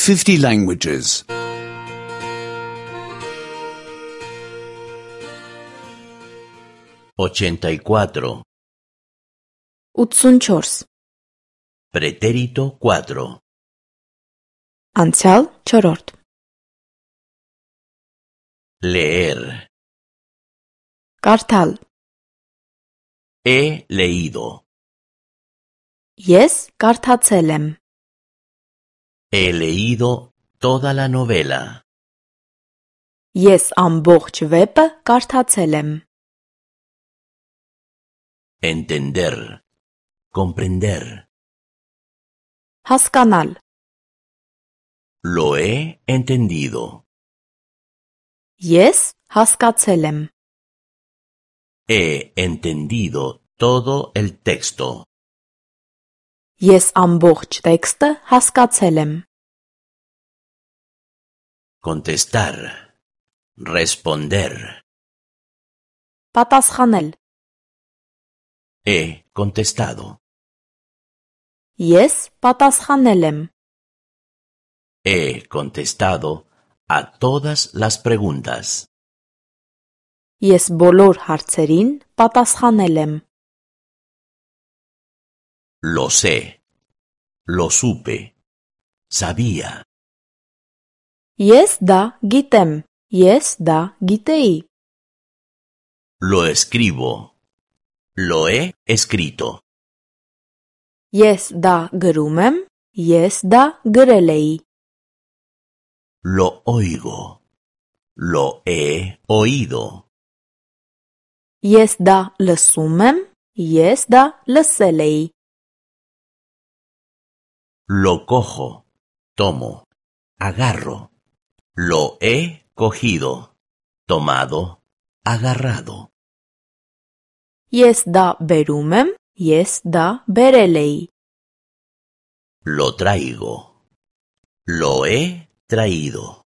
50 languages. 84. 84. Pretérito 4. Անցյալ 4. Leer. Կարդալ. He leído. Ես կարդացել եմ. He leído toda la novela. Ես ամբողջ վեպը կարդացել եմ. Entender. Comprender. Հասկանալ. Lo he entendido. Ես հասկացել եմ. He entendido todo el texto. Ես ամբողջ տեքստը հասկացել եմ. Contestar. Responder. Պատասխանել. He contestado. Ես պատասխանել եմ. He contestado a todas las preguntas. Ես բոլոր հարցերին պատասխանել եմ. Lo sé. Lo supe. Sabía. Ես դա գիտեմ. Ես դա գիտեի. Lo escribo. Lo he escrito. Ես դա գրում եմ. Ես դա գրել էի. Lo oigo. Lo he oído. Ես դա լսում եմ. Ես դա լսել էի. Lo cojo. Tomo. Agarro. Lo he cogido. Tomado. Agarrado. Ես դա բերում եմ. Ես դա բերել էի. Lo traigo. Lo he traído.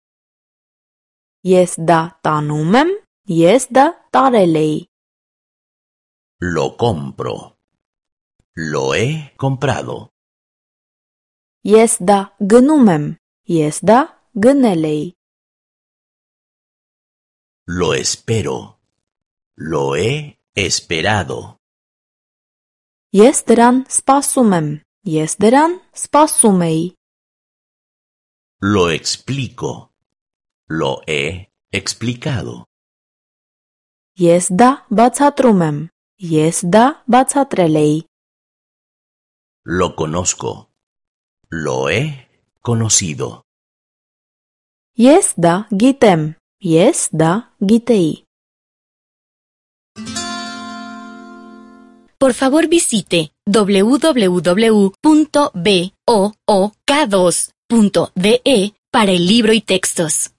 Ես դա տանում եմ. Ես դա տարել էի. Lo compro. Lo he comprado. Ես դա գնում եմ. Ես դա գնել էի. Lo espero. Lo he esperado. Ես դրան սպասում եմ. Ես դրան սպասում էի. Lo explico. Lo he explicado. Ես դա բացատրում եմ. Ես դա բացատրել էի. Lo conozco. Lo he conocido. Ես դա գիտեմ. Ես դա գիտեի. Por favor visite www.book2.de para el libro y textos.